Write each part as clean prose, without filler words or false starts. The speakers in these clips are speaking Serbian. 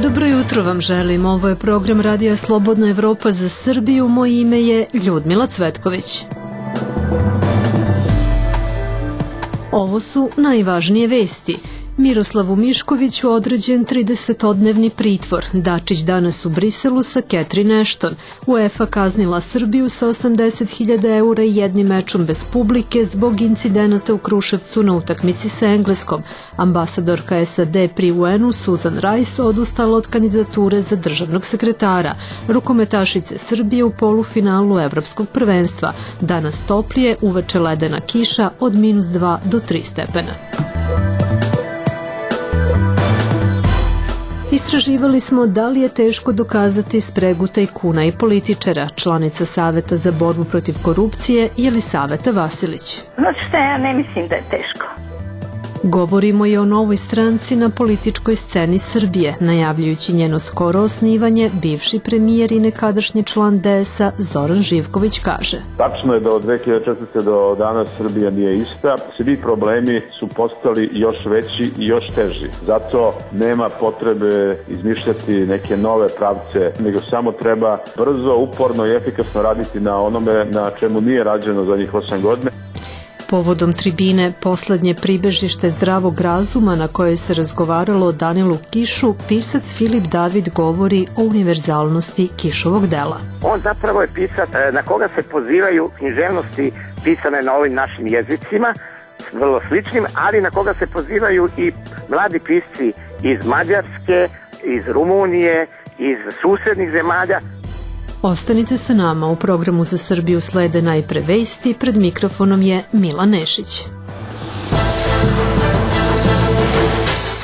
Dobro jutro vam želim. Ovo je program Radija Slobodna Evropa za Srbiju. Moje ime je Ljudmila Cvetković. Ovo su najvažnije vesti. Miroslavu Miškoviću određen 30-dnevni pritvor. Dačić danas u Briselu sa Catherine Ashton. UEFA kaznila Srbiju sa 80.000 eura i jednim mečom bez publike zbog incidenata u Kruševcu na utakmici sa Engleskom. Ambasadorka SAD pri UN-u Susan Rice odustala od kandidature za državnog sekretara. Rukometašice Srbije u polufinalu Evropskog prvenstva. Danas toplije, uveče ledena kiša od -2 do 3 stepena. Istraživali smo da li je teško dokazati spregu tajkuna i političara. Članica Saveta za borbu protiv korupcije Jelisaveta Vasilić. Znači šta, ja ne mislim da je teško. Govorimo i o novoj stranci na političkoj sceni Srbije. Najavljujući njeno skoro osnivanje, bivši premijer i nekadašnji član DS-a Zoran Živković kaže: Tačno je da od 2014. do danas Srbija nije ista. Svi problemi su postali još veći i još teži. Zato nema potrebe izmišljati neke nove pravce, nego samo treba brzo, uporno i efikasno raditi na onome na čemu nije rađeno za njih 8 godina. Povodom tribine Poslednje pribežište zdravog razuma na kojoj se razgovaralo o Danilu Kišu, pisac Filip David govori o univerzalnosti Kišovog dela. On zapravo je pisac na koga se pozivaju književnosti pisane na ovim našim jezicima, vrlo sličnim, ali na koga se pozivaju i mladi pisci iz Mađarske, iz Rumunije, iz susednih zemalja. Ostanite sa nama, u programu za Srbiju slede najpre vesti, pred mikrofonom je Mila Nešić.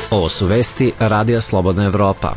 Ovo su vesti Radija Slobodna Evropa.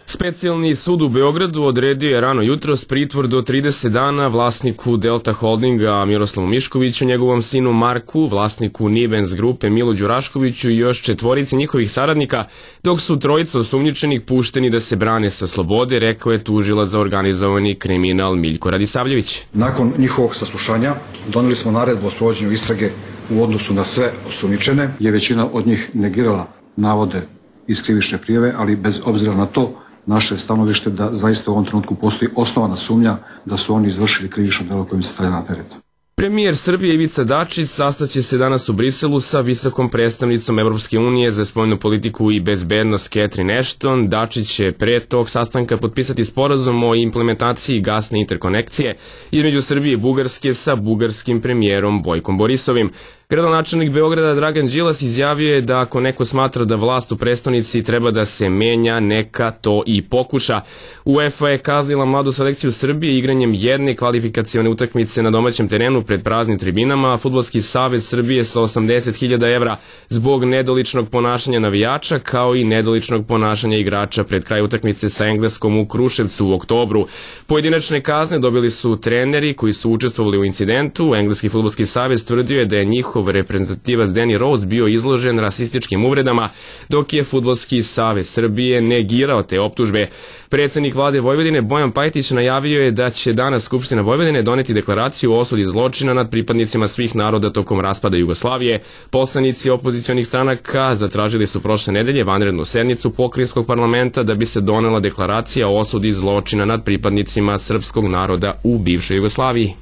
Specijalni sud u Beogradu odredio je rano jutros pritvor do 30 dana vlasniku Delta Holdinga Miroslavu Miškoviću, njegovom sinu Marku, vlasniku Nibens grupe Milu Đuraškoviću i još 4 njihovih saradnika, dok su 3 osumnjičenih pušteni da se brane sa slobode, rekao je tužilac za organizovani kriminal Miljko Radisavljević. Nakon njihovog saslušanja doneli smo naredbu o sprovođenju istrage u odnosu na sve osumnjičene, je većina od njih negirala navode iz krivične prijave, ali bez obzira na to, naše stanovište da zaista u ovom trenutku postoji osnovana sumnja da su oni izvršili krivično delo kojim se stavlja na teret. Premijer Srbije Ivica Dačić sastaće se danas u Briselu sa visokom predstavnicom Evropske unije za spoljnu politiku i bezbednost Catherine Ashton. Dačić će pre tog sastanka potpisati sporazum o implementaciji gasne interkonekcije između Srbije i Bugarske sa bugarskim premijerom Bojkom Borisovim. Gradonačelnik Beograda Dragan Đilas izjavio je da ako neko smatra da vlast u prestonici treba da se menja, neka to i pokuša. UEFA je kaznila mladu selekciju Srbije igranjem jedne kvalifikacione utakmice na domaćem terenu pred praznim tribinama, a Fudbalski savez Srbije sa 80.000 evra zbog nedoličnog ponašanja navijača, kao i nedoličnog ponašanja igrača pred kraj utakmice sa Engleskom u Kruševcu u oktobru. Pojedinačne kazne dobili su treneri koji su učestvovali u incidentu. Engleski Fudbalski savez tvrdio je da je njihov reprezentativac Danny Rose bio izložen rasističkim uvredama, dok je Fudbalski savez Srbije negirao te optužbe. Predsednik vlade Vojvodine Bojan Pajtić najavio je da će danas Skupština Vojvodine doneti deklaraciju o osudi zločina nad pripadnicima svih naroda tokom raspada Jugoslavije. Poslanici opozicionih stranaka zatražili su prošle nedelje vanrednu sednicu pokrajinskog parlamenta da bi se donela deklaracija o osudi zločina nad pripadnicima srpskog naroda u bivšoj Jugoslaviji.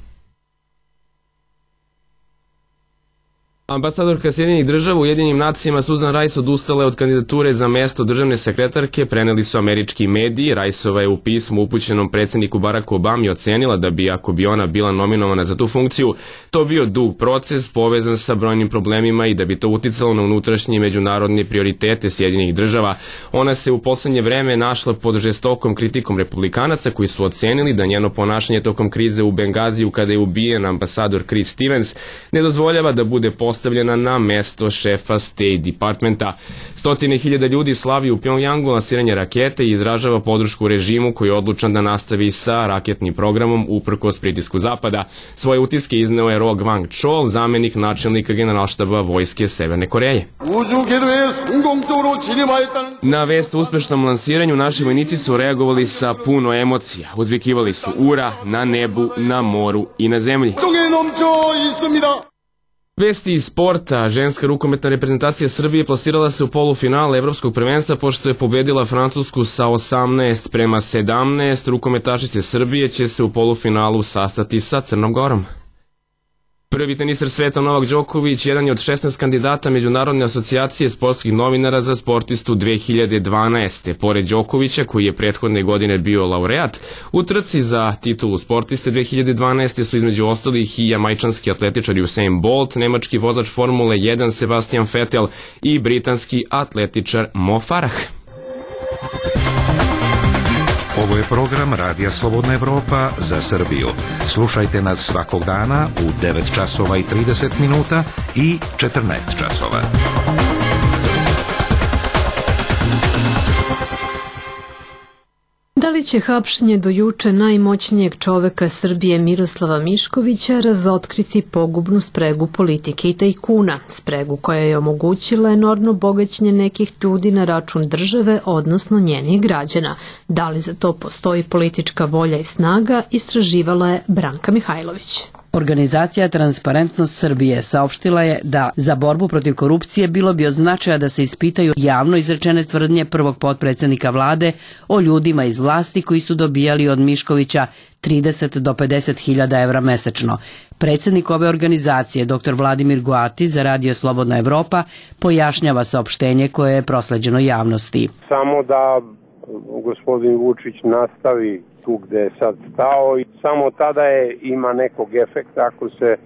Ambasadorka Sjedinjenih država u Ujedinjenim nacijama Susan Rice odustala je od kandidature za mesto državne sekretarke, preneli su američki mediji. Riceova je u pismu upućenom predsjedniku Baracku Obami ocenila da bi, ako bi ona bila nominovana za tu funkciju, to bio dug proces povezan sa brojnim problemima i da bi to uticalo na unutrašnje i međunarodne prioritete Sjedinjenih država. Ona se u poslednje vreme našla pod žestokom kritikom republikanaca koji su ocenili da njeno ponašanje tokom krize u Bengaziju kada je ubijen ambasador Chris Stevens ne dozvoljava da bude postavljena postavljena na mesto šefa State Departmenta. Stotine hiljada ljudi slavi u Pjongjangu lansiranje rakete i izražava podršku režimu koji je odlučan da nastavi sa raketnim programom uprkos pritisku Zapada. Svoje utiske izneo je Ro Gwang Chol, zamenik načelnika Generalštaba vojske Severne Koreje. Na vest o uspešnom lansiranju naši vojnici su reagovali sa puno emocija. Uzvikivali su ura na nebu, na moru i na zemlji. Vesti iz sporta. Ženska rukometna reprezentacija Srbije plasirala se u polufinale Evropskog prvenstva pošto je pobedila Francusku sa 18-17. Rukometašice Srbije će se u polufinalu sastati sa Crnom Gorom. Prvi teniser sveta Novak Đoković jedan je od 16 kandidata Međunarodne asocijacije sportskih novinara za sportistu 2012. Pored Đokovića, koji je prethodne godine bio laureat, u trci za titulu sportiste 2012. su između ostalih i jamajčanski atletičar Usain Bolt, nemački vozač Formule 1 Sebastian Vettel i britanski atletičar Mo Farah. Ovo je program Radija Slobodna Evropa za Srbiju. Slušajte nas svakog dana u 9 časova i 30 minuta i 14 časova. Da li će hapšenje do juče najmoćnijeg čoveka Srbije Miroslava Miškovića razotkriti pogubnu spregu politike i tajkuna, spregu koja je omogućila enormno bogaćenje nekih ljudi na račun države, odnosno njenih građana? Da li za to postoji politička volja i snaga, istraživala je Branka Mihajlović. Organizacija Transparentnost Srbije saopštila je da za borbu protiv korupcije bilo bi od značaja da se ispitaju javno izrečene tvrdnje prvog potpredsednika vlade o ljudima iz vlasti koji su dobijali od Miškovića 30 do 50 hiljada evra mesečno. Predsednik ove organizacije, dr. Vladimir Goati, za Radio Slobodna Evropa, pojašnjava saopštenje koje je prosleđeno javnosti. Samo da gospodin Vučić nastavi tu gde je sad stao i samo tada ima nekog efekta ako se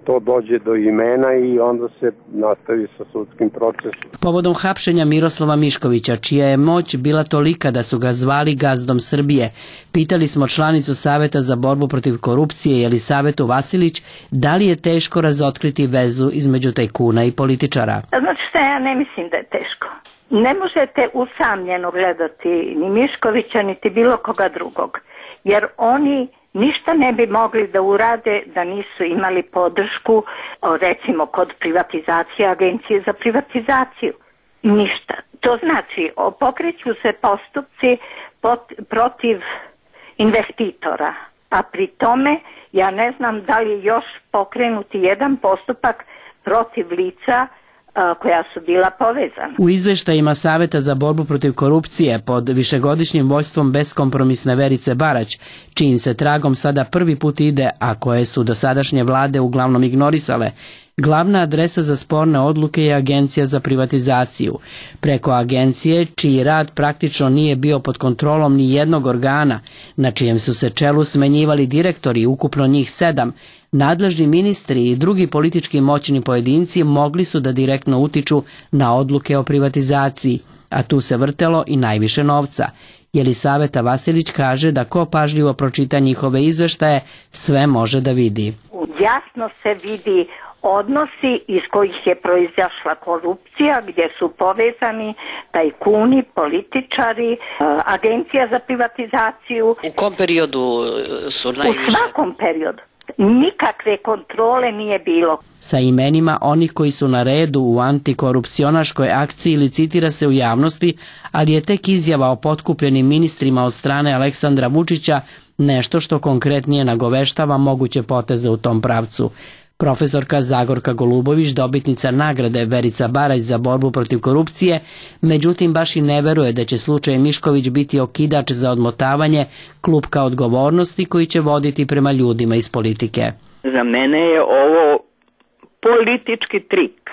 to dođe do imena i onda se nastavi sa sudskim procesom. Povodom hapšenja Miroslava Miškovića, čija je moć bila tolika da su ga zvali gazdom Srbije, pitali smo članicu Saveta za borbu protiv korupcije Jelisavetu Vasilić da li je teško razotkriti vezu između tajkuna i političara. Znači šta, ja ne mislim da je teško. Ne možete usamljeno gledati ni Miškovića, niti bilo koga drugog, jer oni ništa ne bi mogli da urade da nisu imali podršku, recimo kod privatizacije, agencije za privatizaciju. Ništa. To znači, pokreću se postupci protiv investitora, a pri tome ja ne znam da li je još pokrenuti jedan postupak protiv lica koja su bila povezana. U izveštajima Saveta za borbu protiv korupcije pod višegodišnjim vođstvom beskompromisne Verice Barać, čijim se tragom sada prvi put ide, a koje su dosadašnje vlade uglavnom ignorisale, glavna adresa za sporne odluke je Agencija za privatizaciju. Preko agencije, čiji rad praktično nije bio pod kontrolom ni jednog organa, na čijem su se čelu smenjivali direktori, ukupno njih 7, nadležni ministri i drugi politički moćni pojedinci mogli su da direktno utiču na odluke o privatizaciji, a tu se vrtelo i najviše novca. Jelisaveta Vasilić kaže da ko pažljivo pročita njihove izveštaje, sve može da vidi. Jasno se vidi odnosi iz kojih je proizašla korupcija, gdje su povezani tajkuni, političari, agencija za privatizaciju. U kom periodu su najviše? U svakom periodu. Nikakve kontrole nije bilo. Sa imenima onih koji su na redu u antikorupcionaškoj akciji licitira se u javnosti, ali je tek izjava o potkupljenim ministrima od strane Aleksandra Vučića nešto što konkretnije nagoveštava moguće poteze u tom pravcu. Profesorka Zagorka Golubović, dobitnica nagrade Verica Barać za borbu protiv korupcije, međutim baš i ne veruje da će slučaj Mišković biti okidač za odmotavanje klupka odgovornosti koji će voditi prema ljudima iz politike. Za mene je ovo politički trik.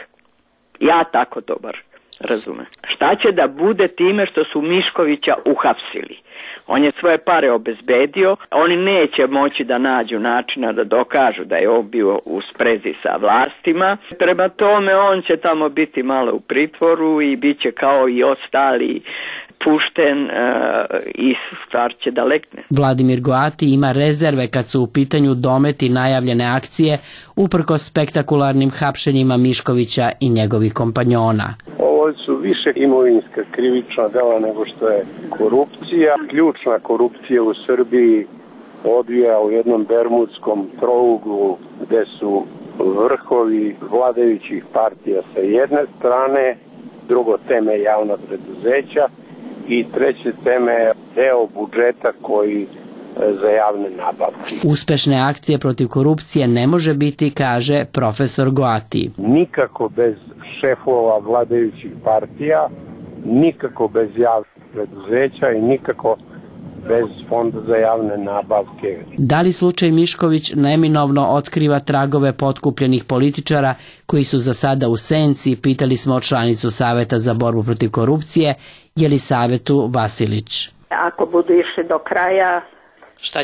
Ja tako to bar razume. Šta će da bude time što su Miškovića uhapsili? On je svoje pare obezbedio, oni neće moći da nađu načina da dokažu da je on bio u sprezi sa vlastima. Prema tome on će tamo biti malo u pritvoru i bit će kao i ostali pušten i stvar će da lekne. Vladimir Goati ima rezerve kad su u pitanju dometi najavljene akcije uprkos spektakularnim hapšenjima Miškovića i njegovih kompanjona. Ovo su više imovinska krivična dela nego što je korupcija. Ključna korupcija u Srbiji odvija u jednom bermudskom trouglu gde su vrhovi vladajućih partija sa jedne strane, drugo teme javna preduzeća i treće teme deo budžeta koji za javne nabavke. Uspešne akcije protiv korupcije ne može biti, kaže profesor Goati. Nikako bez šefova vladajućih partija, nikako bez javnih preduzeća i nikako bez fonda za javne nabavke. Da li slučaj Mišković neminovno otkriva tragove potkupljenih političara koji su za sada u senci, pitali smo članicu Saveta za borbu protiv korupcije, Jelisavetu Vasilić. Ako budu išli do kraja,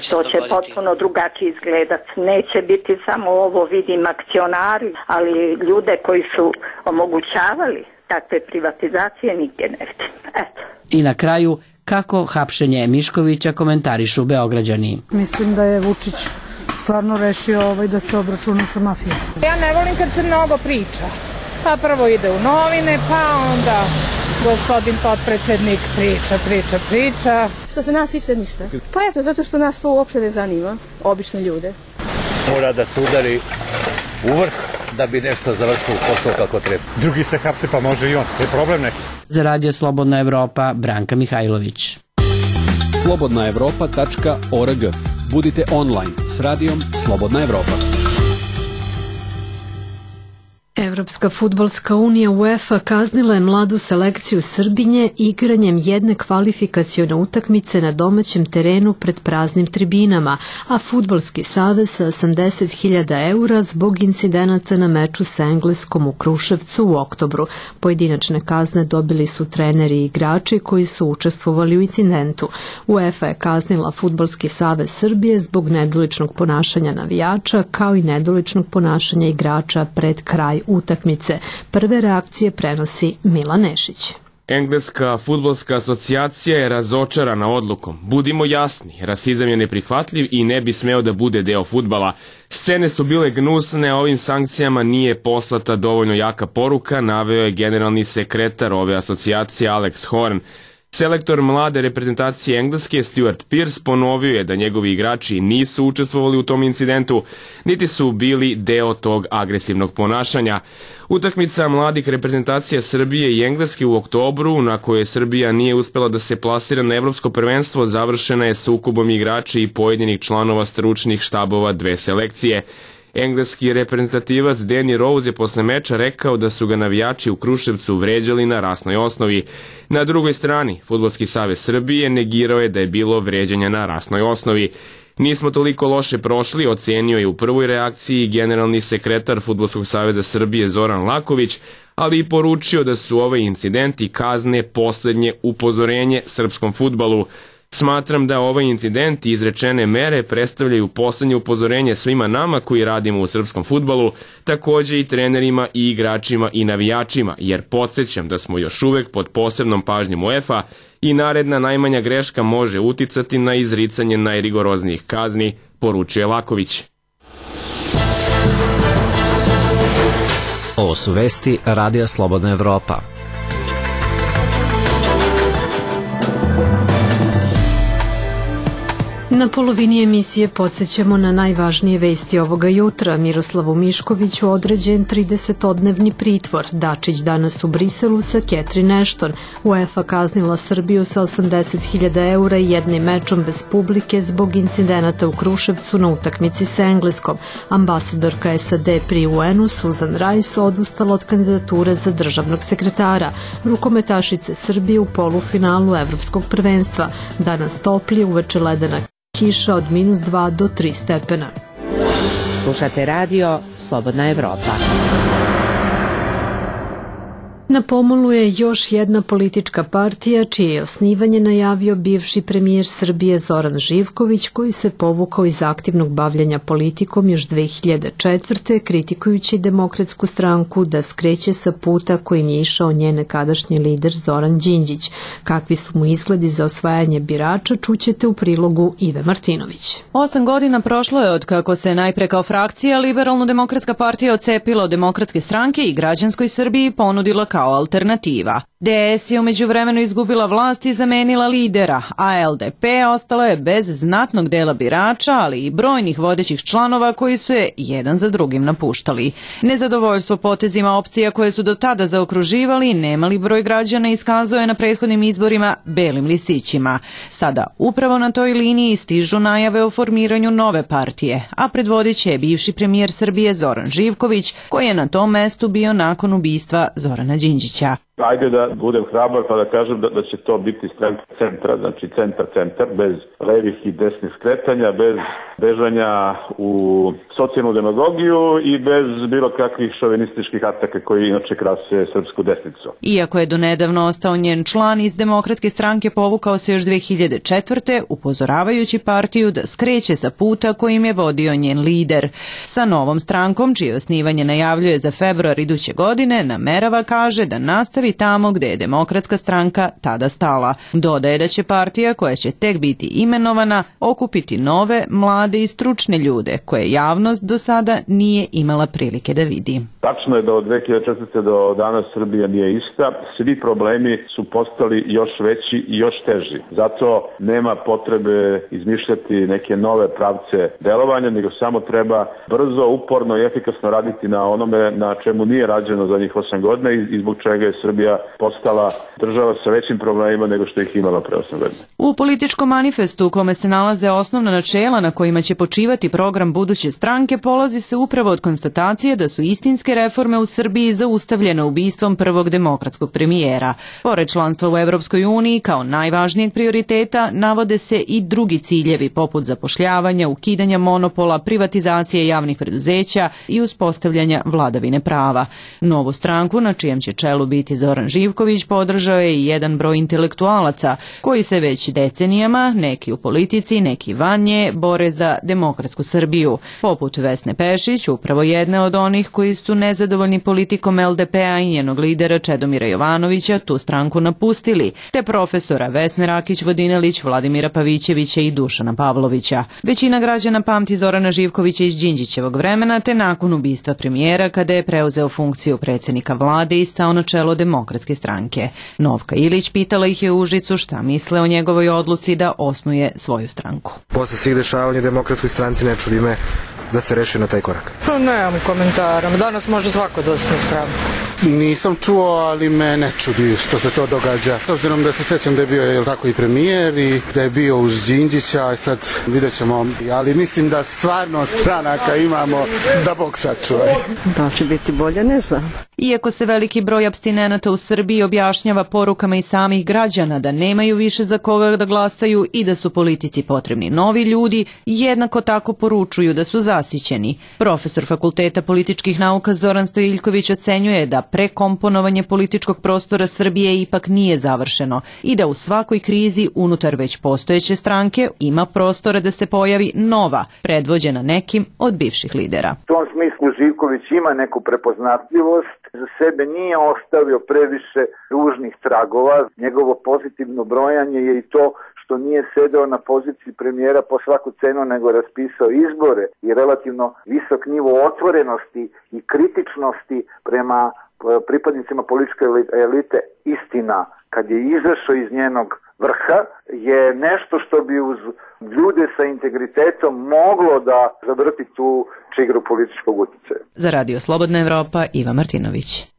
to će potpuno drugačije izgledat. Neće biti samo ovo, vidim, akcionari, ali ljude koji su omogućavali takve privatizacije nigdje ne vidim. Eto. I na kraju, kako hapšenje Miškovića komentarišu Beograđani. Mislim da je Vučić stvarno rešio da se obračuna sa mafijom. Ja ne volim kad se mnogo priča. Pa prvo ide u novine, pa onda gospodin potpredsednik priča. Što se nas tiče ništa. Pa eto, zato što nas to uopšte ne zanima, obične ljude. Mora da se udari u vrh da bi nešto završilo posao kako treba. Drugi se hapse pa može i on. To je problem neki. Za Radio Slobodna Evropa, Branka Mihajlović. slobodnaevropa.org. Budite online s radijom Slobodna Evropa. Evropska fudbalska unija UEFA kaznila je mladu selekciju Srbinje igranjem jedne kvalifikacione utakmice na domaćem terenu pred praznim tribinama, a Fudbalski savez sa 80.000 eura zbog incidenata na meču sa Engleskom u Kruševcu u oktobru. Pojedinačne kazne dobili su treneri i igrači koji su učestvovali u incidentu. UEFA je kaznila Fudbalski savez Srbije zbog nedoličnog ponašanja navijača kao i nedoličnog ponašanja igrača pred kraj utakmice. Prve reakcije prenosi Milan Nešić. Engleska fudbalska asocijacija je razočarana odlukom. Budimo jasni, rasizam je neprihvatljiv i ne bi smeo da bude deo fudbala. Scene su bile gnusne, a ovim sankcijama nije poslata dovoljno jaka poruka, naveo je generalni sekretar ove asocijacije Alex Horn. Selektor mlade reprezentacije Engleske Stuart Pearce ponovio je da njegovi igrači nisu učestvovali u tom incidentu, niti su bili deo tog agresivnog ponašanja. Utakmica mladih reprezentacija Srbije i Engleske u oktobru, na kojoj Srbija nije uspela da se plasira na evropsko prvenstvo, završena je sukobom igrača i pojedinih članova stručnih štabova dve selekcije. Engleski reprezentativac Danny Rose je posle meča rekao da su ga navijači u Kruševcu vređali na rasnoj osnovi. Na drugoj strani, Fudbalski savez Srbije negirao je da je bilo vređanja na rasnoj osnovi. Nismo toliko loše prošli, ocenio je u prvoj reakciji generalni sekretar Fudbalskog saveza Srbije Zoran Laković, ali i poručio da su ove incidenti kazne poslednje upozorenje srpskom fudbalu. Smatram da ovaj incident i izrečene mere predstavljaju poslednje upozorenje svima nama koji radimo u srpskom fudbalu, takođe i trenerima i igračima i navijačima, jer podsjećam da smo još uvek pod posebnom pažnjom UEFA i naredna najmanja greška može uticati na izricanje najrigoroznijih kazni, poručuje Laković. Ovo su vesti Radija Slobodna Evropa. Na polovini emisije podsjećamo na najvažnije vesti ovoga jutra. Miroslavu Miškoviću određen 30-dnevni pritvor. Dačić danas u Briselu sa Catherine Ashton. UEFA kaznila Srbiju sa 80.000 eura i jednim mečom bez publike zbog incidenata u Kruševcu na utakmici sa Engleskom. Ambasadorka SAD pri UN-u Susan Rice odustala od kandidature za državnog sekretara. Rukometašice Srbije u polufinalu Evropskog prvenstva. Danas toplije, uveče ledena kiša od -2 do 3 stepena. Slušate radio Slobodna Evropa. Na pomolu je još jedna politička partija čije je osnivanje najavio bivši premijer Srbije Zoran Živković, koji se povukao iz aktivnog bavljanja politikom još 2004. kritikujući Demokratsku stranku da skreće sa puta kojim je išao njen nekadašnji lider Zoran Đinđić. Kakvi su mu izgledi za osvajanje birača, čućete u prilogu Ive Martinović. 8 godina prošlo je od kako se najpre kao frakcija Liberalno-demokratska partija odcepila od Demokratske stranke i građanskoj Srbiji ponudila kao alternativa. DS je umeđu vremenu izgubila vlast i zamenila lidera, a LDP ostala je bez znatnog dela birača, ali i brojnih vodećih članova koji su je jedan za drugim napuštali. Nezadovoljstvo potezima opcija koje su do tada zaokruživali nemali broj građana iskazao je na prethodnim izborima belim listićima. Sada upravo na toj liniji stižu najave o formiranju nove partije, a predvodit će bivši premijer Srbije Zoran Živković, koji je na tom mestu bio nakon ubistva Zorana Đinđića. Ajde da budem hrabar pa da kažem da će to biti stranka centra, znači centar, bez levih i desnih skretanja, bez bežanja u socijalnu demagogiju i bez bilo kakvih šovinističkih ataka koji inače krase srpsku desnicu. Iako je donedavno ostao njen član, iz Demokratske stranke povukao se još 2004. upozoravajući partiju da skreće sa puta kojim je vodio njen lider. Sa novom strankom, čije osnivanje najavljuje za februar iduće godine, namerava, kaže, da nastavi tamo gde je Demokratska stranka tada stala. Dodaje da će partija, koja će tek biti imenovana, okupiti nove, mlade i stručne ljude koje javnost do sada nije imala prilike da vidi. Tačno je da od 2004. do danas Srbija nije ista. Svi problemi su postali još veći i još teži. Zato nema potrebe izmišljati neke nove pravce delovanja, nego samo treba brzo, uporno i efikasno raditi na onome na čemu nije rađeno za njih 8 godina i zbog čega je Srbija postala država sa većim problemima nego što ih imala pre 8 godina. U političkom manifestu u kome se nalaze osnovna načela na kojima će počivati program buduće stranke polazi se upravo od konstatacije da su istinske reforme u Srbiji zaustavljene ubistvom prvog demokratskog premijera. Pored članstva u Evropskoj uniji kao najvažnijeg prioriteta navode se i drugi ciljevi poput zapošljavanja, ukidanja monopola, privatizacije javnih preduzeća i uspostavljanja vladavine prava. Novu stranku, na čijem će čelu biti Zoran Živković, podržao je i jedan broj intelektualaca koji se već decenijama, neki u politici, neki van nje, bore za demokratsku Srbiju. Poput Vesne Pešić, upravo jedne od onih koji su nezadovoljni politikom LDP-a i njenog lidera Čedomira Jovanovića tu stranku napustili, te profesora Vesne Rakić-Vodinelić, Vladimira Pavićevića i Dušana Pavlovića. Većina građana pamti Zorana Živkovića iz Đinđićevog vremena, te nakon ubistva premijera kada je preuzeo funkciju predsjednika vlade i stao na čelo Demokratske stranke. Novka Ilić pitala ih je u Užicu šta misle o njegovoj odluci da osnuje svoju stranku. Posle svih dešavanja Demokratskoj stranci ne čudi me da se reši na taj korak. Nemam komentara, danas može svako da osnuje stranku. Nisam čuo, ali me ne čudi što se to događa. S obzirom da se sećam da je bio tako i premijer i da je bio uz Đinđića, a sad vidjet ćemo. Ali mislim da stvarno stranaka imamo da Bog sačuva. Da će biti bolje, ne znam. Iako se veliki broj apstinenata u Srbiji objašnjava porukama i samih građana da nemaju više za koga da glasaju i da su politici potrebni novi ljudi, jednako tako poručuju da su zasićeni. Profesor Fakulteta političkih nauka Zoran Stojiljković ocenjuje da prekomponovanje političkog prostora Srbije ipak nije završeno i da u svakoj krizi unutar već postojeće stranke ima prostora da se pojavi nova, predvođena nekim od bivših lidera. U tom smislu Živković ima neku prepoznatljivost, za sebe nije ostavio previše ružnih tragova, njegovo pozitivno brojanje je i to što nije sedeo na poziciji premijera po svaku cenu, nego raspisao izbore i relativno visok nivo otvorenosti i kritičnosti prema pripadnicima političke elite. Istina, kad je izašao iz njenog vrha, je nešto što bi uz ljude sa integritetom moglo da zavrti tu čigru političkog utjecaja. Za Radio Slobodna Evropa, Iva Martinović.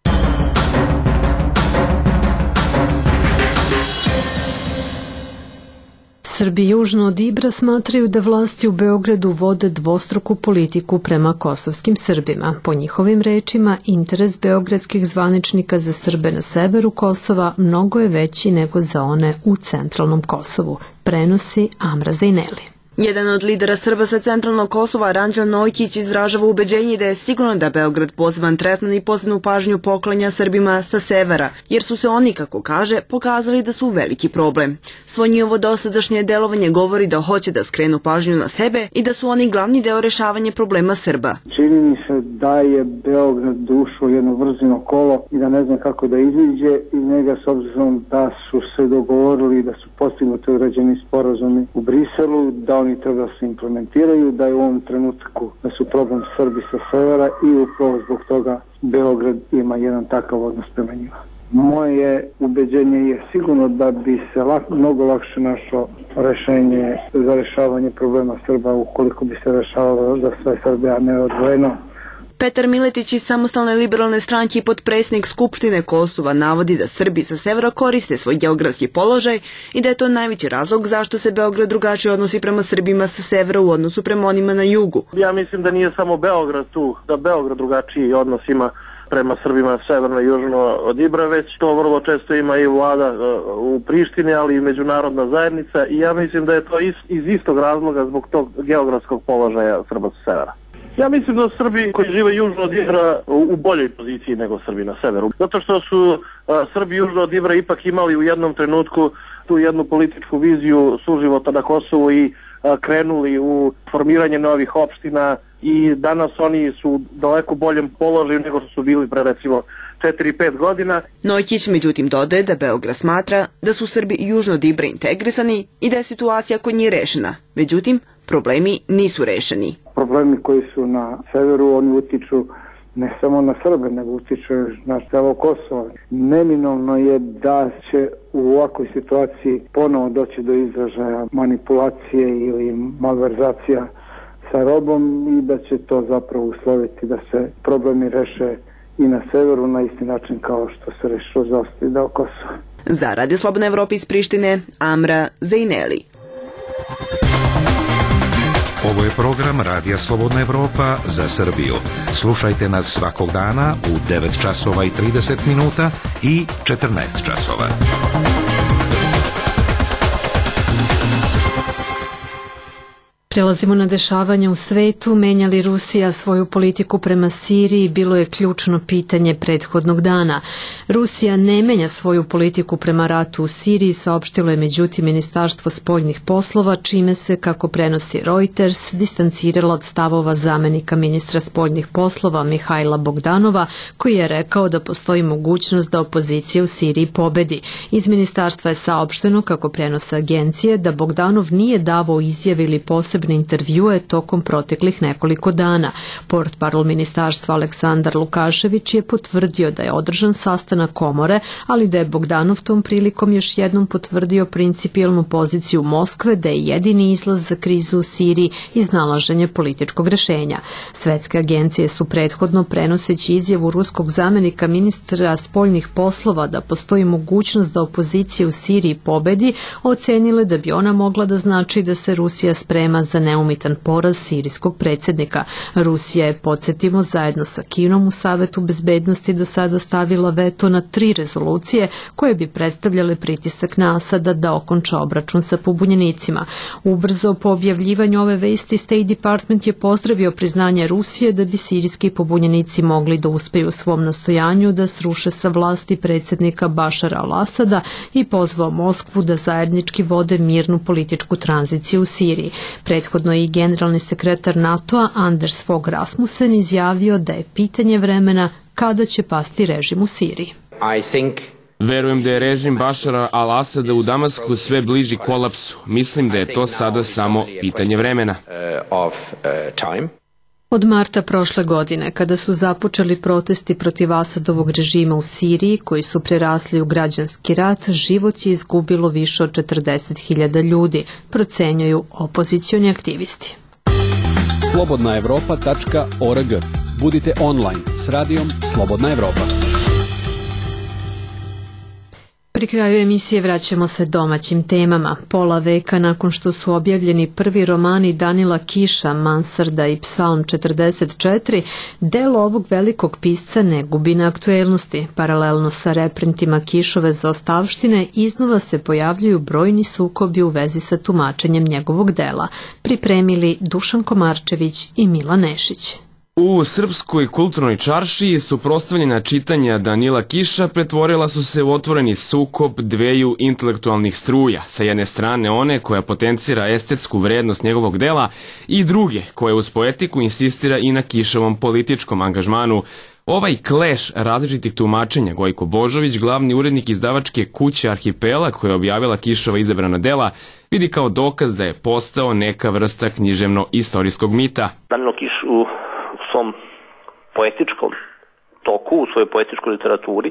Srbi južno od Ibra smatraju da vlasti u Beogradu vode dvostruku politiku prema kosovskim Srbima. Po njihovim rečima, interes beogradskih zvaničnika za Srbe na severu Kosova mnogo je veći nego za one u centralnom Kosovu, prenosi Amra Zejneli. Jedan od lidera Srba sa centralnog Kosova, Ranđel Nojkić, izražava ubeđenje da je sigurno da Beograd poseban tretman i posebnu pažnju poklanja Srbima sa severa, jer su se oni, kako kaže, pokazali da su veliki problem. Svo njihovo dosadašnje delovanje govori da hoće da skrenu pažnju na sebe i da su oni glavni deo rešavanja problema Srba. Čini mi se da je Beograd ušao jedno vrzino kolo i da ne znam kako da iziđe iz njega, s obzirom da su se dogovorili da su postignuti određeni sporazumi u Briselu, da oni treba da se implementiraju, da je u ovom trenutku da su problem Srbi sa severa i upravo zbog toga Beograd ima jedan takav odnos prema njima. Moje ubeđenje je sigurno da bi se mnogo lakše našlo rešenje za rešavanje problema Srba ukoliko bi se rešavalo za sve Srbe, a ne odvojeno. Petar Miletić iz Samostalne liberalne stranke i potpredsjednik Skupštine Kosova navodi da Srbi sa severa koriste svoj geografski položaj i da je to najveći razlog zašto se Beograd drugačije odnosi prema Srbima sa severa u odnosu prema onima na jugu. Ja mislim da nije samo Beograd tu, da Beograd drugačiji odnos ima prema Srbima severno i južno od Ibra, već to vrlo često ima i vlada u Prištini, ali i međunarodna zajednica, i ja mislim da je to iz istog razloga zbog tog geografskog položaja Srba sa severa. Ja mislim da Srbi koji žive južno od Ibra u boljoj poziciji nego Srbi na severu. Zato što su Srbi južno od Ibra ipak imali u jednom trenutku tu jednu političku viziju suživota na Kosovu i krenuli u formiranje novih opština i danas oni su u daleko boljem položaju nego što su bili pre recimo 4-5 godina. Nojkić međutim dodaje da Beograd smatra da su Srbi južno od Ibra integrisani i da je situacija kod njih rešena. Međutim, problemi nisu rešeni. Problemi koji su na severu, oni utiču ne samo na Srbe, nego utiču na celo Kosovo. Neminovno je da će u ovakvoj situaciji ponovo doći do izražaja manipulacije ili malverzacija sa robom i da će to zapravo usloviti da se problemi reše i na severu na isti način kao što se rešilo za ostali deo Kosova. Za Radio Slobodna Evropa iz Prištine, Amra Zejneli. Ovo je program Radija Slobodna Evropa za Srbiju. Slušajte nas svakog dana u 9 časova i 30 minuta i 14 časova. Prelazimo na dešavanja u svetu. Menja li Rusija svoju politiku prema Siriji bilo je ključno pitanje prethodnog dana. Rusija ne menja svoju politiku prema ratu u Siriji, saopštilo je međutim Ministarstvo spoljnih poslova, čime se, kako prenosi Reuters, distancirala od stavova zamenika ministra spoljnih poslova Mihajla Bogdanova, koji je rekao da postoji mogućnost da opozicija u Siriji pobedi. Iz ministarstva je saopšteno, kako prenose agencije, da Bogdanov nije davao izjave ili posebne intervjue tokom proteklih nekoliko dana. Portparol ministarstva Aleksandar Lukašević je potvrdio da je održan sastanak komore, ali da je Bogdanov tom prilikom još jednom potvrdio principijelnu poziciju Moskve da je jedini izlaz za krizu u Siriji iznalaženje političkog rešenja. Svetske agencije su prethodno, prenoseći izjavu ruskog zamenika ministra spoljnih poslova da postoji mogućnost da opozicija u Siriji pobedi, ocenile da bi ona mogla da znači da se Rusija sprema za neumitan poraz sirijskog predsjednika. Rusija je, podsjetimo, zajedno sa Kinom u Savetu bezbednosti do sada stavila veto na 3 rezolucije koje bi predstavljale pritisak na Asada da okonča obračun sa pobunjenicima. Ubrzo po objavljivanju ove vesti State Department je pozdravio priznanje Rusije da bi sirijski pobunjenici mogli da uspeju u svom nastojanju da sruše sa vlasti predsjednika Bašara al-Asada i pozvao Moskvu da zajednički vode mirnu političku tranziciju u Siriji. Prethodno je i generalni sekretar NATO-a Anders Fogh Rasmussen izjavio da je pitanje vremena kada će pasti režim u Siriji. Verujem da je režim Bašara al-Asada u Damasku sve bliži kolapsu. Mislim da je to sada samo pitanje vremena. Od marta prošle godine, kada su započeli protesti protiv Asadovog režima u Siriji, koji su prerasli u građanski rat, život je izgubilo više od 40.000 ljudi, procenjuju opozicioni aktivisti. slobodnaevropa.org. Budite online s radijom Slobodna Evropa. Pri kraju emisije vraćamo se domaćim temama. Pola veka nakon što su objavljeni prvi romani Danila Kiša, Mansarda i Psalm 44, delo ovog velikog pisca ne gubi na aktuelnosti. Paralelno sa reprintima Kišove zaostavštine iznova se pojavljuju brojni sukobi u vezi sa tumačenjem njegovog dela. Pripremili Dušan Komarčević i Mila Nešić. U srpskoj kulturnoj čaršiji suprotstavljena čitanja Danila Kiša pretvorila su se u otvoreni sukob dveju intelektualnih struja. Sa jedne strane one koja potencira estetsku vrednost njegovog dela i druge koja uz poetiku insistira i na Kišovom političkom angažmanu. Ovaj kleš različitih tumačenja Gojko Božović, glavni urednik izdavačke kuće Arhipelag koja je objavila Kišova izabrana dela, vidi kao dokaz da je postao neka vrsta književno-istorijskog mita. Danilo Kiš u svom poetičkom toku, u svojoj poetičkoj literaturi,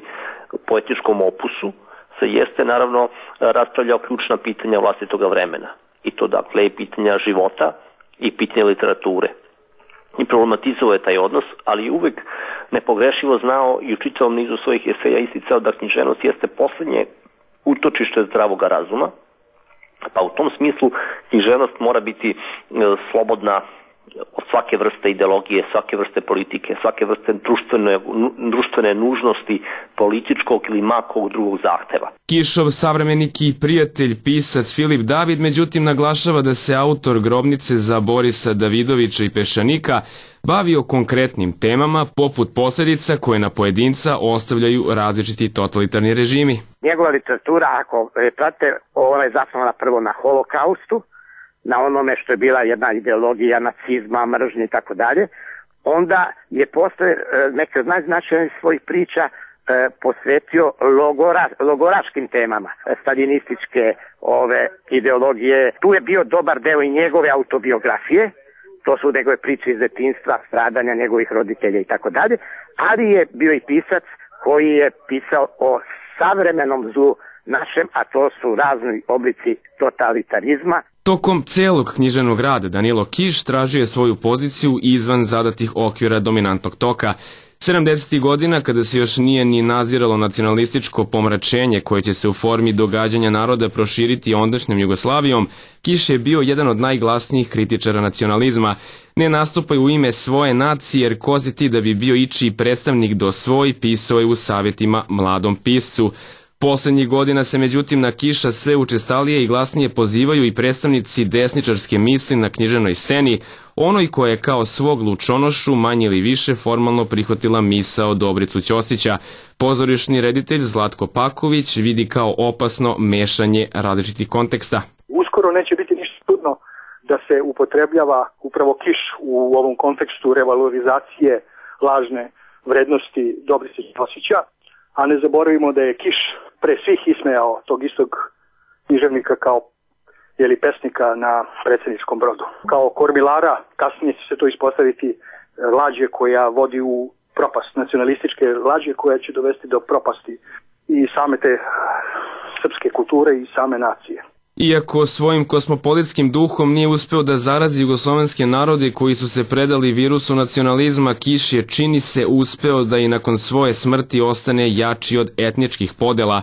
poetičkom opusu, se jeste naravno raspravljao ključna pitanja vlastitog vremena. I to dakle i pitanja života i pitanja literature. I problematizovao je taj odnos, ali uvek nepogrešivo znao i u čitavom nizu svojih eseja isticao da književnost jeste poslednje utočište zdravoga razuma, pa u tom smislu književnost mora biti slobodna od svake vrste ideologije, svake vrste politike, svake vrste društvene nužnosti, političkog ili makog drugog zahteva. Kišov savremenik i prijatelj, pisac Filip David, međutim naglašava da se autor Grobnice za Borisa Davidovića i Peščanika bavio konkretnim temama poput posljedica koje na pojedinca ostavljaju različiti totalitarni režimi. Njegova literatura, ako prate, ona je zasnovana prvo na holokaustu, na onome što je bila jedna ideologija nacizma, mržnje i tako dalje, onda je posle neke od najznačajnijih svojih priča posvetio logoraškim temama, staljinističke ideologije. Tu je bio dobar deo i njegove autobiografije, to su njegove priče iz detinjstva, stradanja njegovih roditelja i tako dalje, ali je bio i pisac koji je pisao o savremenom zlu našem, a to su razni oblici totalitarizma. Tokom celog književnog rada Danilo Kiš tražio je svoju poziciju izvan zadatih okvira dominantnog toka. 70. godina, kada se još nije ni naziralo nacionalističko pomračenje koje će se u formi događanja naroda proširiti ondašnjom Jugoslavijom, Kiš je bio jedan od najglasnijih kritičara nacionalizma. Ne nastupaj u ime svoje nacije, jer ko si ti da bi bio ičiji predstavnik do svoj, pisao je u savjetima mladom piscu. Poslednjih godina se međutim na Kiša sve učestalije i glasnije pozivaju i predstavnici desničarske misli na književnoj sceni, onoj koja je kao svog lučonošu manje ili više formalno prihvatila misao Dobricu Ćosića. Pozorišni reditelj Zlatko Paković vidi kao opasno mešanje različitih konteksta. Uskoro neće biti ništa čudno da se upotrebljava upravo Kiš u ovom kontekstu revalorizacije lažne vrednosti Dobrice Ćosića, a ne zaboravimo da je Kiš pre svih ismejao tog istog književnika kao pesnika na predsjedničkom brodu. Kao kormilara, kasnije će se to ispostaviti lađe koja vodi u propast, nacionalističke lađe koja će dovesti do propasti i same te srpske kulture i same nacije. Iako svojim kosmopolitskim duhom nije uspeo da zarazi jugoslovenske narode koji su se predali virusu nacionalizma, Kiš je, čini se, uspeo da i nakon svoje smrti ostane jači od etničkih podela.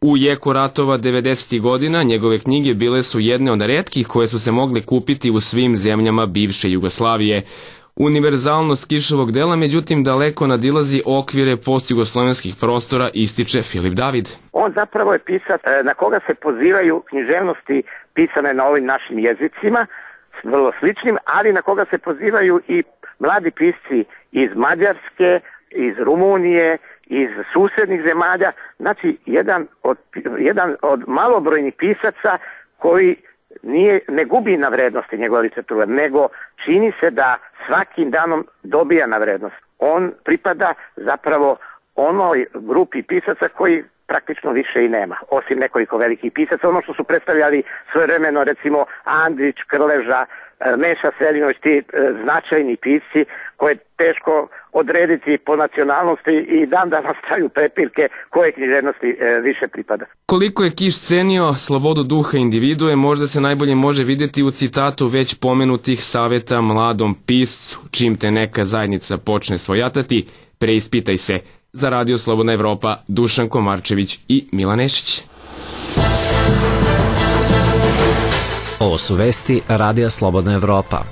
U jeku ratova 90. godina njegove knjige bile su jedne od retkih koje su se mogle kupiti u svim zemljama bivše Jugoslavije. Univerzalnost Kišovog dela, međutim, daleko nadilazi okvire postjugoslovenskih prostora, ističe Filip David. On zapravo je pisac na koga se pozivaju književnosti pisane na ovim našim jezicima, vrlo sličnim, ali na koga se pozivaju i mladi pisci iz Mađarske, iz Rumunije, iz susednih zemalja. Znači, jedan od malobrojnih pisaca koji ne gubi na vrednosti njegova literatura, nego čini se da svakim danom dobija na vrednost. On pripada zapravo onoj grupi pisaca koji praktično više i nema, osim nekoliko velikih pisaca. Ono što su predstavljali svojevremeno, recimo Andrić, Krleža, Meša Selinović, ti značajni pisci koje je teško odrediti po nacionalnosti i dan danas traju prepirke koje književnosti više pripada. Koliko je Kiš cenio slobodu duha individue, možda se najbolje može vidjeti u citatu već pomenutih savjeta mladom piscu: čim te neka zajednica počne svojatati, preispitaj se. Za Radio Slobodna Evropa, Dušan Komarčević i Milan Nešić. Ovo su vesti Radija Slobodna Evropa.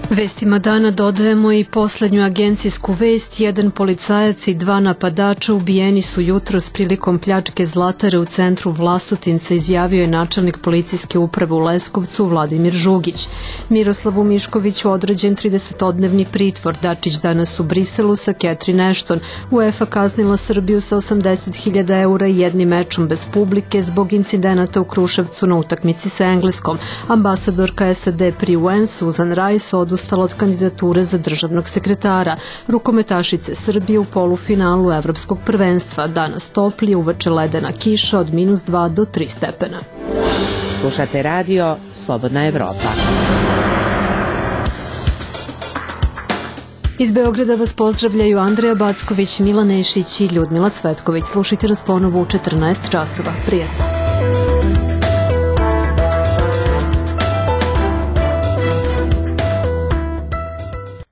Vestima dana dodajemo i poslednju agencijsku vest. Jedan policajac i 2 napadača ubijeni su jutros prilikom pljačke zlatare u centru Vlasotinca, izjavio je načelnik policijske uprave u Leskovcu Vladimir Žugić. Miroslavu Miškoviću određen 30-dnevni pritvor. Dačić danas u Briselu sa Catherine Ashton. UEFA kaznila Srbiju sa 80.000 eura i 1 mečom bez publike zbog incidenata u Kruševcu na utakmici sa Engleskom. Ambasadorka SAD pri UN Susan Rice odustala od kandidature za državnog sekretara. Rukometašice Srbije u polufinalu Evropskog prvenstva. Danas toplije, uveče ledena kiša od -2 do 3 stepena. Slušate radio Slobodna Evropa. Iz Beograda vas pozdravljaju Andreja Backović, Milan Nešić i Ljudmila Cvetković. Slušajte nas ponovo u 14 časova. Prijetno.